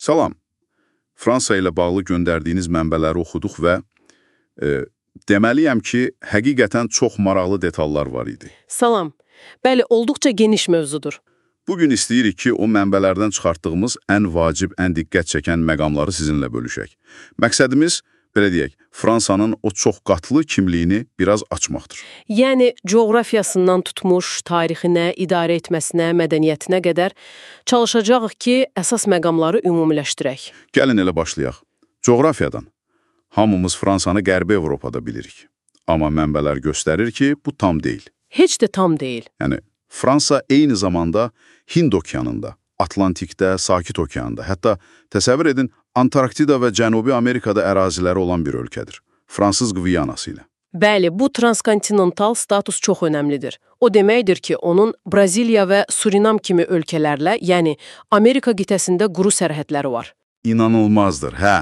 Salam. Fransa ilə bağlı göndərdiyiniz mənbələri oxuduq və deməliyəm ki, həqiqətən çox maraqlı detallar var idi. Salam. Bəli, olduqca geniş mövzudur. Bugün istəyirik ki, o mənbələrdən çıxartdığımız ən vacib, ən diqqət çəkən məqamları sizinlə bölüşək. Məqsədimiz, belə deyək, Fransanın o çox qatlı kimliyini biraz açmaqdır. Yəni, coğrafiyasından tutmuş, tarixinə, idarə etməsinə, mədəniyyətinə qədər çalışacağıq ki, əsas məqamları ümumiləşdirək. Gəlin elə başlayaq. Coğrafiyadan. Hamımız Fransanı Qərbi Avropada bilirik. Amma mənbələr göstərir ki, bu tam deyil. Heç də tam deyil. Yəni, Fransa eyni zamanda Hind okeanında, Atlantikdə, Sakit okeanda, hətta təsəvvür edin, Antarktida və Cənubi Amerikada əraziləri olan bir ölkədir. Fransız Qviyanası ilə. Bəli, bu transkontinental status çox önəmlidir. O deməkdir ki, onun Braziliya və Surinam kimi ölkələrlə, yəni Amerika qitəsində quru sərhədləri var. İnanılmazdır, hə.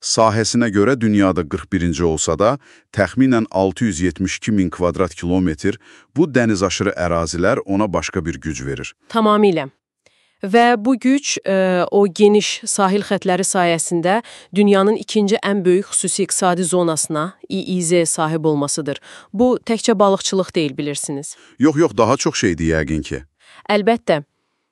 Sahəsinə görə dünyada 41-ci olsa da, təxminən 672 min kvadrat kilometr bu dənizaşırı ərazilər ona başqa bir güc verir. Tamamilə. Və bu güc o geniş sahil xətləri sayəsində dünyanın ikinci ən böyük xüsusi iqtisadi zonasına, EEZ sahib olmasıdır. Bu, təkcə balıqçılıq deyil, bilirsiniz. Yox, daha çox şeydir yəqin ki. Əlbəttə.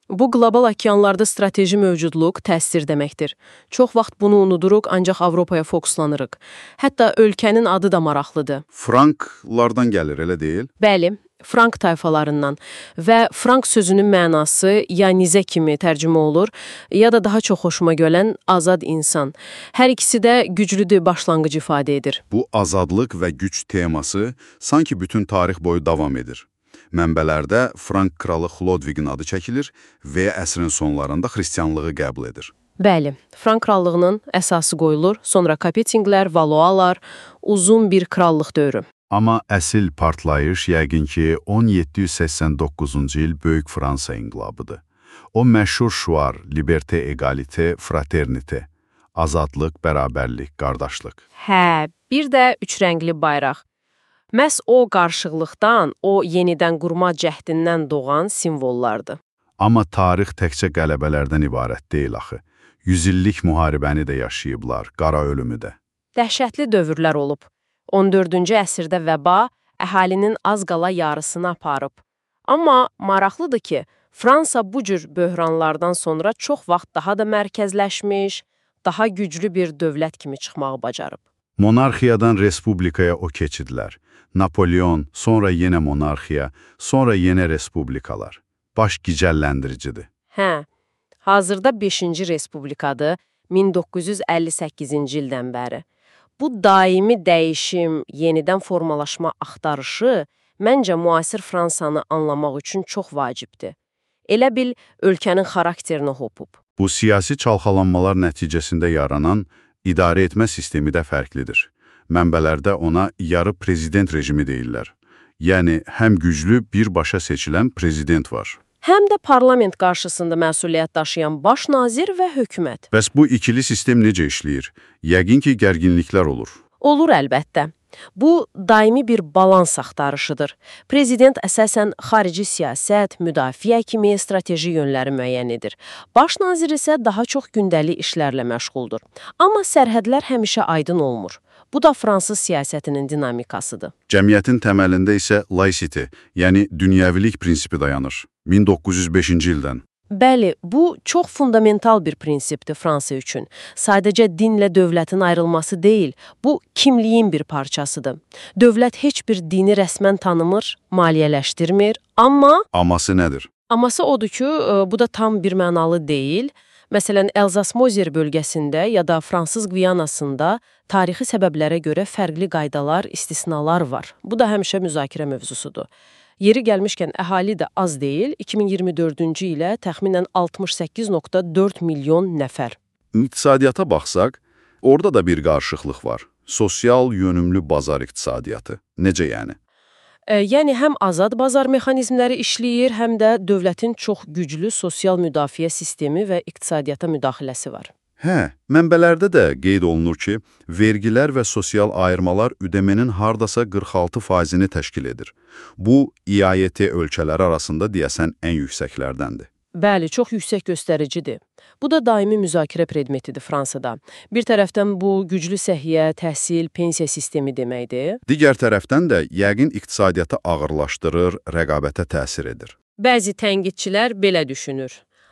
Bu, qlobal okeanlarda strateji mövcudluq, təsir deməkdir. Çox vaxt bunu unuduruq, ancaq Avropaya fokuslanırıq. Hətta ölkənin adı da maraqlıdır. Franklardan gəlir, elə deyil? Bəli, Frank tayfalarından və Frank sözünün mənası ya nizə kimi tərcümə olur, ya da daha çox xoşuma gələn azad insan. Hər ikisi də güclüdür başlanğıc ifadə edir. Bu azadlıq və güc teması sanki bütün tarix boyu davam edir. Mənbələrdə Frank kralı Xlodvigin adı çəkilir və əsrin sonlarında xristianlığı qəbul edir. Bəli, Frank krallığının əsası qoyulur, sonra Kapetinglər, Valoalar, uzun bir krallıq dövrü. Amma əsl partlayış yəqin ki 1789-cu il Böyük Fransa inqilabıdır. O məşhur şüar, liberté, égalité, fraternité, azadlıq, bərabərlik, qardaşlıq. Hə, bir də üç rəngli bayraq. Məhz o qarşılıqdan, o yenidən qurma cəhdindən doğan simvollardır. Amma tarix təkcə qələbələrdən ibarət deyil axı. 100 illik müharibəni də yaşayıblar, qara ölümü də. Dəhşətli dövrlər olub. 14-cü əsrdə vəba əhalinin az qala yarısını aparıb. Amma maraqlıdır ki, Fransa bu cür böhranlardan sonra çox vaxt daha da mərkəzləşmiş, daha güclü bir dövlət kimi çıxmağı bacarıb. Monarxiyadan respublikaya o keçidlər. Napolyon, sonra yenə monarxiya, sonra yenə respublikalar. Baş gicəlləndiricidir. Hə, hazırda 5-ci respublikadır 1958-ci ildən bəri. Bu daimi dəyişim, yenidən formalaşma axtarışı məncə müasir Fransanı anlamaq üçün çox vacibdir. Elə bil ölkənin xarakterini hopub. Bu siyasi çalxalanmalar nəticəsində yaranan idarə etmə sistemi də fərqlidir. Mənbələrdə ona yarı prezident rejimi deyirlər. Yəni, həm güclü birbaşa seçilən prezident var. Həm də parlament qarşısında məsuliyyət daşıyan baş nazir və hökumət. Bəs bu ikili sistem necə işləyir? Yəqin ki, gərginliklər olur. Olur əlbəttə. Bu, daimi bir balans axtarışıdır. Prezident əsasən xarici siyasət, müdafiə kimi strateji yönləri müəyyən edir. Baş nazir isə daha çox gündəlik işlərlə məşğuldur. Amma sərhədlər həmişə aydın olmur. Bu da fransız siyasətinin dinamikasıdır. Cəmiyyətin təməlində isə laicity, yəni dünyəvilik prinsipi dayanır. 1905-ci ildən. Bəli, bu çox fundamental bir prinsipdir Fransa üçün. Sadəcə dinlə dövlətin ayrılması deyil, bu kimliyin bir parçasıdır. Dövlət heç bir dini rəsmən tanımır, maliyyələşdirmir, amma... Aması nədir? Aması odur ki, bu da tam bir mənalı deyil. Məsələn, Elzas-Mozer bölgəsində ya da Fransız Qviyanasında tarixi səbəblərə görə fərqli qaydalar, istisnalar var. Bu da həmişə müzakirə mövzusudur. Yeri gəlmişkən əhali də az deyil, 2024-cü ilə təxminən 68,4 milyon nəfər. İqtisadiyyata baxsaq, orada da bir qarışıqlıq var. Sosial yönümlü bazar iqtisadiyyatı. Necə yəni? Yəni, həm azad bazar mexanizmləri işləyir, həm də dövlətin çox güclü sosial müdafiə sistemi və iqtisadiyyata müdaxiləsi var. Hə, mənbələrdə də qeyd olunur ki, vergilər və sosial ayırmalar ödəmənin hardasa 46%-ni təşkil edir. Bu, İAET ölkələri arasında deyəsən ən yüksəklərdəndir. Bəli, çox yüksək göstəricidir. Bu da daimi müzakirə predmetidir Fransada. Bir tərəfdən bu güclü səhiyyə, təhsil, pensiya sistemi deməkdir. Digər tərəfdən də yəqin iqtisadiyyatı ağırlaşdırır, rəqabətə təsir edir. Bəzi tənqidçilər belə düşünür.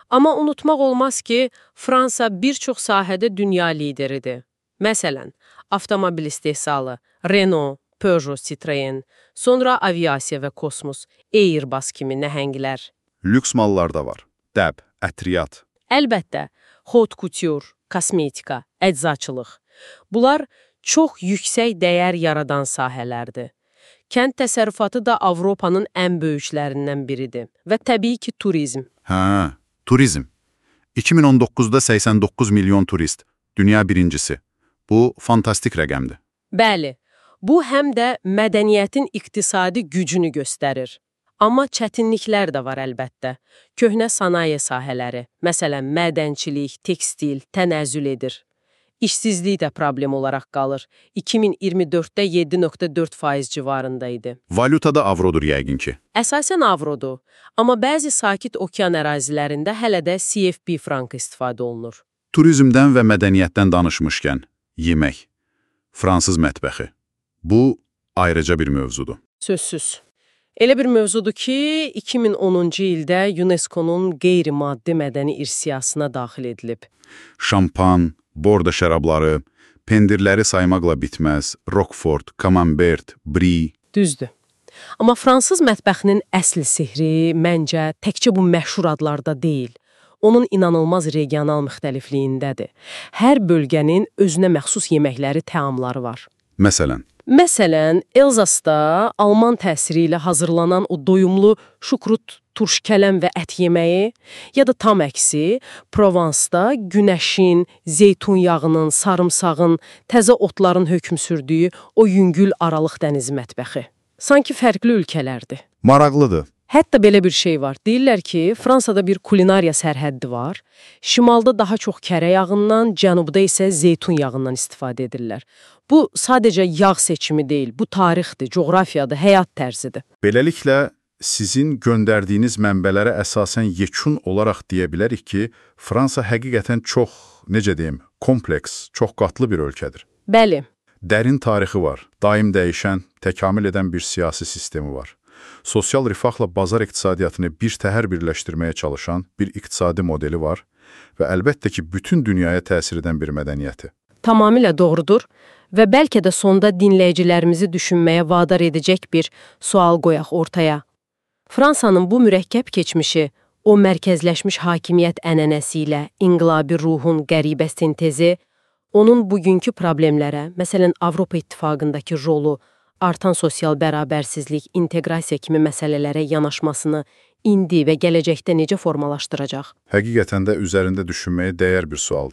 Amma unutmaq olmaz ki, Fransa bir çox sahədə dünya lideridir. Məsələn, avtomobil istehsalı, Renault, Peugeot, Citroen, sonra aviasiya və kosmos, Airbus kimi nəhənglər. Lüks mallar da var. Dəb, ətriyyat. Əlbəttə, haute couture, kosmetika, əczaçılıq. Bunlar çox yüksək dəyər yaradan sahələrdir. Kənd təsərrüfatı da Avropanın ən böyüklərindən biridir. Və təbii ki, turizm. Turizm. 2019-da 89 milyon turist. Dünya birincisi. Bu, fantastik rəqəmdir. Bəli, bu həm də mədəniyyətin iqtisadi gücünü göstərir. Amma çətinliklər də var əlbəttə. Köhnə sənaye sahələri, məsələn, mədənçilik, tekstil, tənəzzül edir. İşsizlik də problem olaraq qalır. 2024-də 7,4% civarında idi. Valyutada avrodur yəqin ki. Əsasən avrodur, amma bəzi sakit okean ərazilərində hələ də CFP frankı istifadə olunur. Turizmdən və mədəniyyətdən danışmışkən, yemək, fransız mətbəxi. Bu, ayrıca bir mövzudur. Sözsüz. Elə bir mövzudur ki, 2010-cu ildə UNESCO-nun qeyri-maddi mədəni irs siyahısına daxil edilib. Şampan, bordo şərabları, pendirləri saymaqla bitməz, Roquefort, Camembert, Brie. Düzdür. Amma fransız mətbəxinin əsl sehri, məncə, təkcə bu məşhur adlarda deyil. Onun inanılmaz regional müxtəlifliyindədir. Hər bölgənin özünə məxsus yeməkləri, təamları var. Məsələn, Elzasda Alman təsiri ilə hazırlanan o doyumlu şukrut, turş kələm və ət yeməyi, ya da tam əksi, Provansda günəşin, zeytun yağının, sarımsağın, təzə otların hökm sürdüyü o yüngül Aralıq dənizi mətbəxi. Sanki fərqli ölkələrdir. Maraqlıdır. Hətta belə bir şey var. Deyirlər ki, Fransada bir kulinariya sərhəddi var. Şimalda daha çox kərə yağından, cənubda isə zeytun yağından istifadə edirlər. Bu, sadəcə yağ seçimi deyil, bu tarixdir, coğrafiyadır, həyat tərzidir. Beləliklə, sizin göndərdiyiniz mənbələrə əsasən yekun olaraq deyə bilərik ki, Fransa həqiqətən çox, necə deyim, kompleks, çox qatlı bir ölkədir. Bəli. Dərin tarixi var, daim dəyişən, təkamül edən bir siyasi sistemi var. Sosial rifahla bazar iqtisadiyyatını bir təhər birləşdirməyə çalışan bir iqtisadi modeli var və əlbəttə ki, bütün dünyaya təsir edən bir mədəniyyəti. Tamamilə doğrudur və bəlkə də sonda dinləyicilərimizi düşünməyə vadar edəcək bir sual qoyaq ortaya. Fransanın bu mürəkkəb keçmişi, o mərkəzləşmiş hakimiyyət ənənəsi ilə inqilabi ruhun qəribə sintezi, onun bugünkü problemlərə, məsələn, Avropa İttifaqındakı rolu, artan sosial bərabərsizlik, inteqrasiya kimi məsələlərə yanaşmasını indi və gələcəkdə necə formalaşdıracaq? Həqiqətən də üzərində düşünməyə dəyər bir sualdır.